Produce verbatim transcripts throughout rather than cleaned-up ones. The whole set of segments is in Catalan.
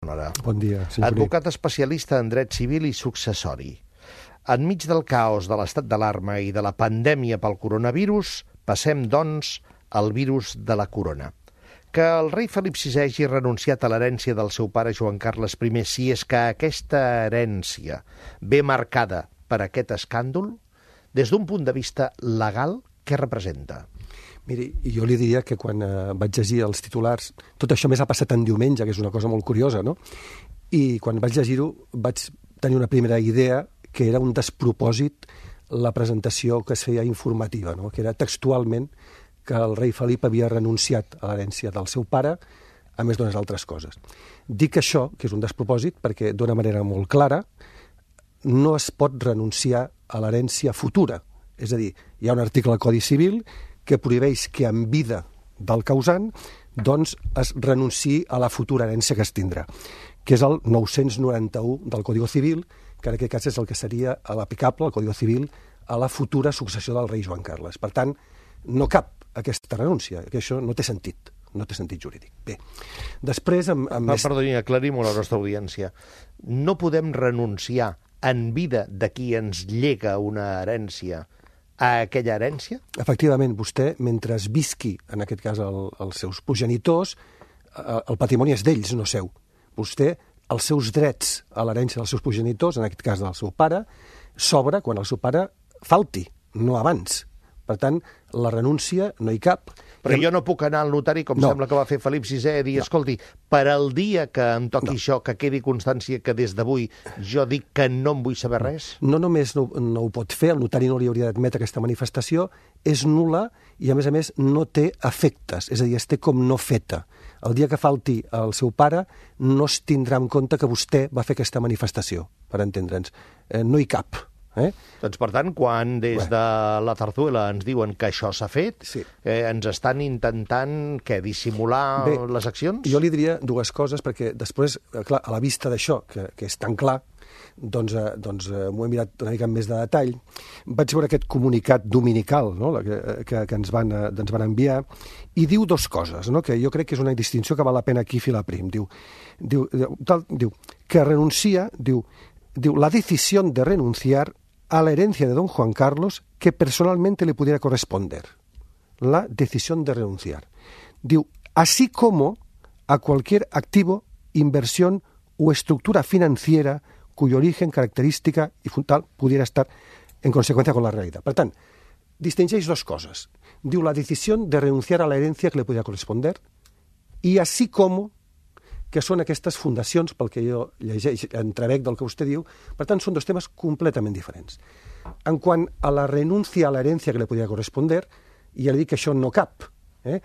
Bon dia, senyor Advocat especialista en dret civil i successori. Enmig del caos de l'estat d'alarma i de la pandèmia pel coronavirus, passem, doncs, al virus de la corona. Que el rei Felip sisè hagi renunciat a l'herència del seu pare Joan Carles primer, si és que aquesta herència ve marcada per aquest escàndol, des d'un punt de vista legal, què representa? Miri, jo li diria que quan eh, vaig llegir els titulars, tot això més ha passat en diumenge, que és una cosa molt curiosa, no? I quan vaig llegir-ho vaig tenir una primera idea que era un despropòsit la presentació que es feia informativa, no? Que era textualment que el rei Felip havia renunciat a l'herència del seu pare, a més d'unes altres coses. Dic això, que és un despropòsit, perquè d'una manera molt clara no es pot renunciar a l'herència futura. És a dir, hi ha un article al Codi Civil que prohibeix que en vida del causant doncs es renunciï a la futura herència que es tindrà, que és el nou-cents noranta-u del Codi Civil, que en aquest cas és el que seria l'aplicable, el Codi Civil, a la futura successió del rei Joan Carles. Per tant, no cap aquesta renúncia, que això no té sentit, no té sentit jurídic. Bé, després... Amb, amb Va, més... Perdoni, aclarim-ho a la nostra audiència. No podem renunciar en vida de qui ens llega una herència a aquella herència? Efectivament, vostè, mentre visqui, en aquest cas, el, els seus progenitors, el patrimoni és d'ells, no seu. Vostè, els seus drets a l'herència dels seus progenitors, en aquest cas del seu pare, s'obre quan el seu pare falti, no abans. Per tant, la renúncia no hi cap. Però jo no puc anar al notari, com no. sembla que va fer Felip sisè, a dir, no. escolti, per al dia que em toqui no. això, que quedi constància que des d'avui jo dic que no em vull saber res? No només no, no ho pot fer, el notari no li hauria d'admetre aquesta manifestació, és nul·la i, a més a més, no té efectes, és a dir, es té com no feta. El dia que falti el seu pare no es tindrà en compte que vostè va fer aquesta manifestació, per entendre'ns. Eh, no hi cap. Eh? Doncs, per tant, quan des de la Zarzuela ens diuen que això s'ha fet, sí. eh, ens estan intentant, què, dissimular Bé, les accions? Jo li diria dues coses, perquè després, clar, a la vista d'això, que, que és tan clar, doncs, eh, doncs eh, m'ho he mirat una mica més de detall, vaig veure aquest comunicat dominical, no?, que, que, que ens, van, eh, ens van enviar, i diu dos coses, no?, que jo crec que és una distinció que val la pena aquí filar prim. Diu, diu, tal, diu que renuncia, diu, diu, la decisión de renunciar a la herencia de don Juan Carlos que personalmente le pudiera corresponder. La decisión de renunciar. Diu, así como a cualquier activo, inversión o estructura financiera cuyo origen, característica y fundamental pudiera estar en consecuencia con la realidad. Per tant, distingeix dos coses. Diu, la decisión de renunciar a la herencia que le pudiera corresponder y así como que són aquestes fundacions, pel que jo llegeix, entrebec del que vostè diu. Per tant, són dos temes completament diferents. En quant a la renúncia a l'herència que li podria corresponder, ja li dic que això no cap. Eh?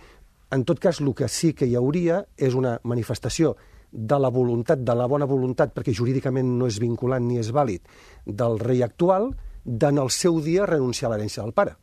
En tot cas, el que sí que hi hauria és una manifestació de la voluntat, de la bona voluntat, perquè jurídicament no és vinculant ni és vàlid, del rei actual, d'en el seu dia renunciar a l'herència del pare.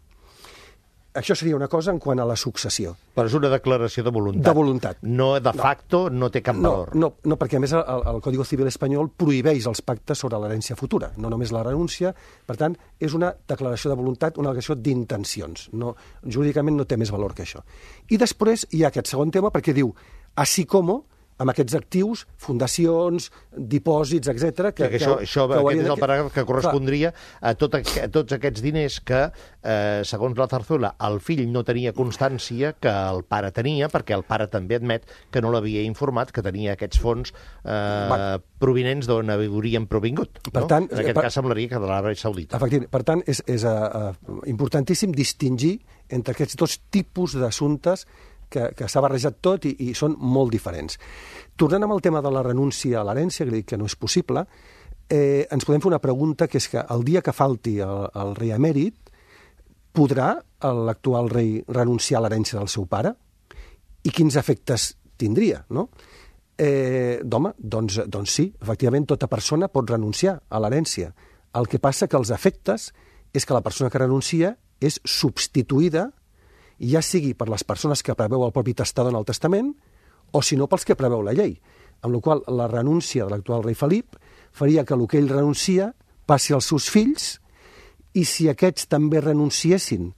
Això seria una cosa en quant a la successió. Però és una declaració de voluntat. De voluntat. No, de facto, no, no té cap valor. No, no, no, perquè a més el, el Codi Civil espanyol prohibeix els pactes sobre l'herència futura, no només la renúncia. Per tant, és una declaració de voluntat, una declaració d'intencions. No, jurídicament no té més valor que això. I després hi ha aquest segon tema perquè diu, així com amb aquests actius, fundacions, dipòsits, etcètera. Que, que, que això, això que aquest és el paràgraf que correspondria a, tot, a tots aquests diners que, eh, segons la Zarzuela, el fill no tenia constància que el pare tenia, perquè el pare també admet que no l'havia informat que tenia aquests fons eh, provinents d'on haurien provingut. Per no? tant, en aquest per, cas semblaria que de l'Aràbia Saudita. Efectivament. Per tant, és, és uh, importantíssim distingir entre aquests dos tipus d'assumptes que, que s'ha barrejat tot i, i són molt diferents. Tornant amb el tema de la renúncia a l'herència, que dic que no és possible, eh, ens podem fer una pregunta, que és que el dia que falti el, el rei emèrit, podrà l'actual rei renunciar a l'herència del seu pare? I quins efectes tindria, no? Eh, D'home, doncs, doncs sí, efectivament, tota persona pot renunciar a l'herència. El que passa que els efectes és que la persona que renuncia és substituïda, ja sigui per les persones que preveu el propi testador en el testament, o si no pels que preveu la llei. Amb la qual cosa la renúncia de l'actual rei Felip faria que el que ell renuncia passi als seus fills, i si aquests també renunciessin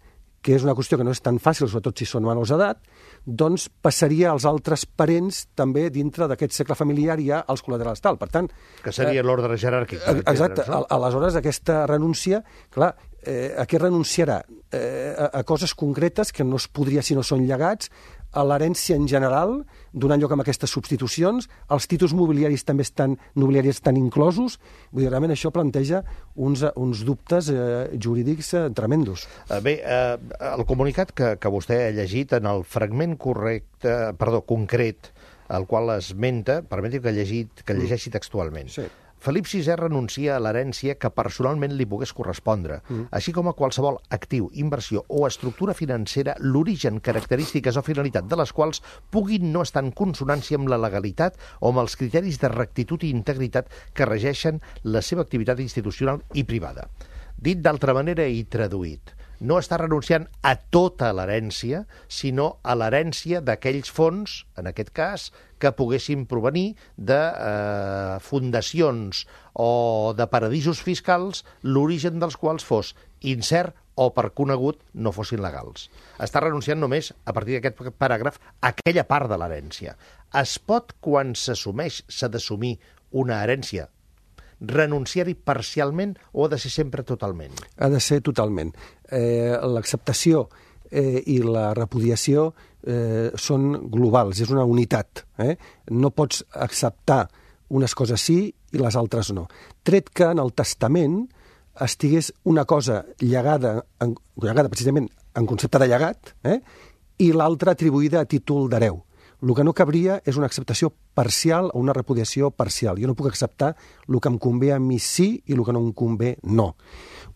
que és una qüestió que no és tan fàcil, sobretot si són menors d'edat, doncs passaria als altres parents també dintre d'aquest cercle familiar i ja als col·laterals tal. Per tant... Que seria eh, l'ordre jeràrquic. Exacte. No? Aleshores, aquesta renúncia, clar, eh, a què renunciarà? Eh, a, a coses concretes que no es podria si no són llegats, a l'herència en general, donant lloc a aquestes substitucions, els títols mobiliaris també estan, nobiliaris estan inclosos, vull dir, realment això planteja uns, uns dubtes eh, jurídics eh, tremendos. Bé, eh, el comunicat que, que vostè ha llegit en el fragment correcte, perdó, concret, el qual esmenta, permeti que, llegit, que llegeixi textualment. Sí. Felip sisè renuncia a l'herència que personalment li pogués correspondre, mm. així com a qualsevol actiu, inversió o estructura financera, l'origen, característiques o finalitat de les quals puguin no estar en consonància amb la legalitat o amb els criteris de rectitud i integritat que regeixen la seva activitat institucional i privada. Dit d'altra manera i traduït, no està renunciant a tota l'herència, sinó a l'herència d'aquells fons, en aquest cas, que poguessin provenir de eh, fundacions o de paradisos fiscals, l'origen dels quals fos incert o, per conegut, no fossin legals. Està renunciant només, a partir d'aquest paràgraf, a aquella part de l'herència. Es pot, quan s'assumeix, s'ha d'assumir una herència, renunciar-hi parcialment o ha de ser sempre totalment? Ha de ser totalment. Eh, l'acceptació eh, i la repudiació eh, són globals, és una unitat. Eh? No pots acceptar unes coses sí i les altres no. Tret que en el testament estigués una cosa llegada, en, llegada precisament en concepte de llegat, eh? i l'altra atribuïda a títol d'hereu. El que no cabria és una acceptació parcial o una repudiació parcial. Jo no puc acceptar el que em convé a mi sí i el que no em convé no.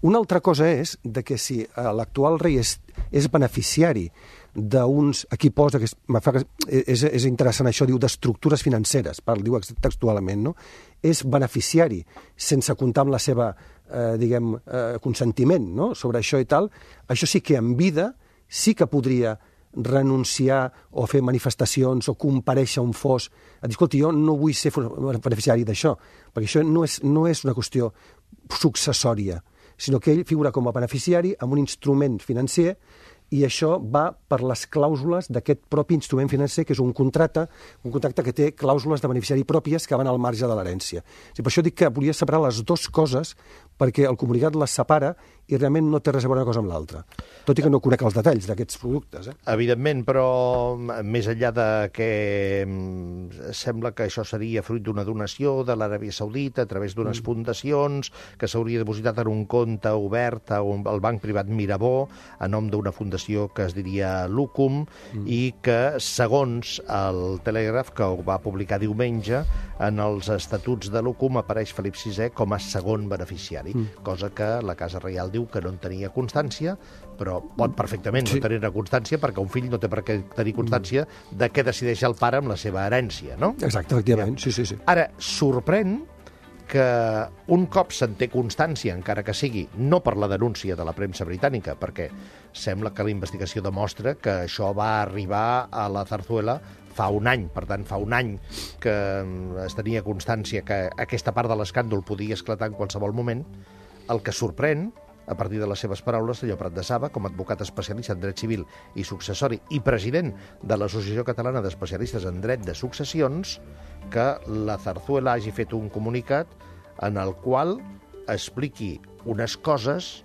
Una altra cosa és de que si l'actual rei és, és beneficiari d'uns... Aquí posa, que és, és, és interessant això, diu d'estructures financeres, parla, diu textualment, no? És beneficiari, sense comptar amb la seva, eh, diguem, eh, consentiment, no? Sobre això i tal. Això sí que en vida sí que podria renunciar o fer manifestacions o comparèixer un fos a dir, escolta, jo no vull ser beneficiari d'això, perquè això no és, no és una qüestió successòria, sinó que ell figura com a beneficiari amb un instrument financer i això va per les clàusules d'aquest propi instrument financer, que és un contracte, un contracte que té clàusules de beneficiari pròpies que van al marge de l'herència. Sí, per això dic que volia separar les dues coses, perquè el comunicat les separa i realment no té res a veure una cosa amb l'altra. Tot i que no conec els detalls d'aquests productes. Eh? Evidentment, però més enllà de que sembla que això seria fruit d'una donació de l'Aràbia Saudita a través d'unes mm. fundacions, que s'hauria depositat en un compte obert al banc privat Mirabó, a nom d'una fundació que es diria Lucum, mm. i que, segons el Telègraf, que ho va publicar diumenge, en els estatuts de Lucum apareix Felip sisè com a segon beneficiari, mm. cosa que la Casa Reial diu que no en tenia constància, però pot perfectament sí. no tenir constància perquè un fill no té per què tenir constància de què decideix el pare amb la seva herència, no? Exacte, efectivament, ja. sí, sí, sí. Ara, sorprèn que un cop se'n té constància, encara que sigui no per la denúncia de la premsa britànica, perquè sembla que la investigació demostra que això va arribar a la Zarzuela fa un any, per tant, fa un any que es tenia constància que aquesta part de l'escàndol podia esclatar en qualsevol moment. El que sorprèn, a partir de les seves paraules, senyor Prat de Saba, com a advocat especialista en dret civil i successori i president de l'Associació Catalana d'Especialistes en Dret de Successions, que la Zarzuela hagi fet un comunicat en el qual expliqui unes coses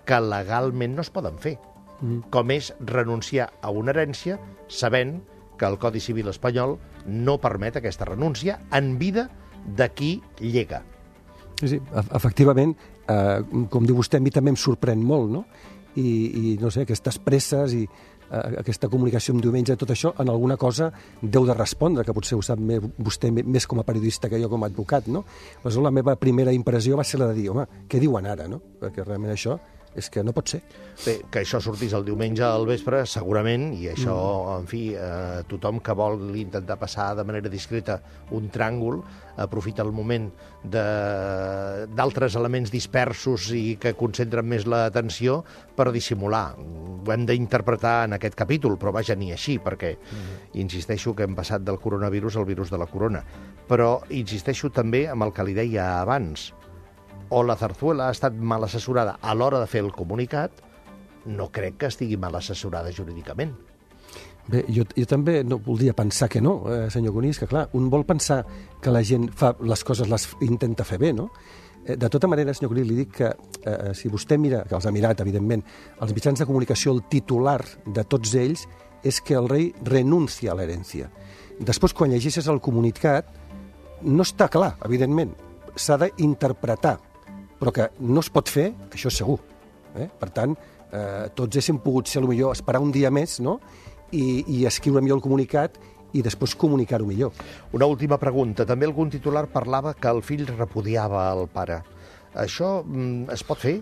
que legalment no es poden fer, mm. com és renunciar a una herència sabent que el Codi Civil espanyol no permet aquesta renúncia en vida de qui llega. Sí, efectivament, eh, com diu vostè, a mi també em sorprèn molt, no? I, i no sé, aquestes presses i eh, aquesta comunicació amb diumenge, tot això, en alguna cosa deu de respondre, que potser ho sap més, vostè més com a periodista que jo com a advocat, no? Aleshores, la meva primera impressió va ser la de dir, home, què diuen ara, no? Perquè realment això és que no pot ser. Bé, que això sortís el diumenge al vespre, segurament, i això, mm. en fi, eh, tothom que vol intentar passar de manera discreta un tràngol, aprofita el moment d'altres elements dispersos i que concentren més l'atenció per dissimular. Ho hem d'interpretar en aquest capítol, però vaja, ni així, perquè mm. insisteixo que hem passat del coronavirus al virus de la corona. Però insisteixo també amb el que li deia abans. O la Zarzuela ha estat mal assessorada a l'hora de fer el comunicat, no crec que estigui mal assessorada jurídicament. Bé, jo, jo també no voldria pensar que no, eh, senyor Conís, que clar, un vol pensar que la gent fa les coses, les intenta fer bé, no? Eh, de tota manera, senyor Conís, li dic que eh, si vostè mira, que els ha mirat, evidentment, els mitjans de comunicació, el titular de tots ells és que el rei renuncia a l'herència. Després, quan llegeixes el comunicat, no està clar, evidentment, s'ha d'interpretar, però que no es pot fer, això és segur. Eh? Per tant, eh, tots haguéssim pogut ser, potser, esperar un dia més, no?, I, i escriure millor el comunicat i després comunicar-ho millor. Una última pregunta. També algun titular parlava que el fill repudiava el pare. Això mm, es pot fer?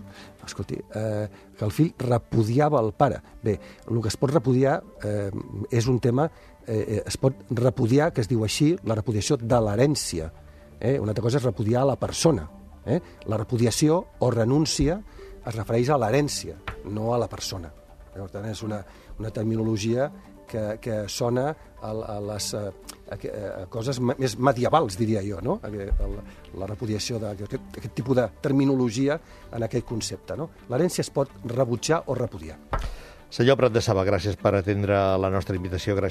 Escolti, eh, que el fill repudiava el pare. Bé, el que es pot repudiar eh, és un tema... Eh, es pot repudiar, que es diu així, la repudiació de l'herència. Eh? Una altra cosa és repudiar a la persona. Eh? La repudiació o renúncia es refereix a l'herència, no a la persona. Per tant, és una, una terminologia que, que sona a, a les a, a, a coses més medievals, diria jo, no? A, a la, la repudiació d'aquest aquest tipus de terminologia en aquest concepte. No? L'herència es pot rebutjar o repudiar. Senyor Prat de Saba, gràcies per atendre la nostra invitació, gràcies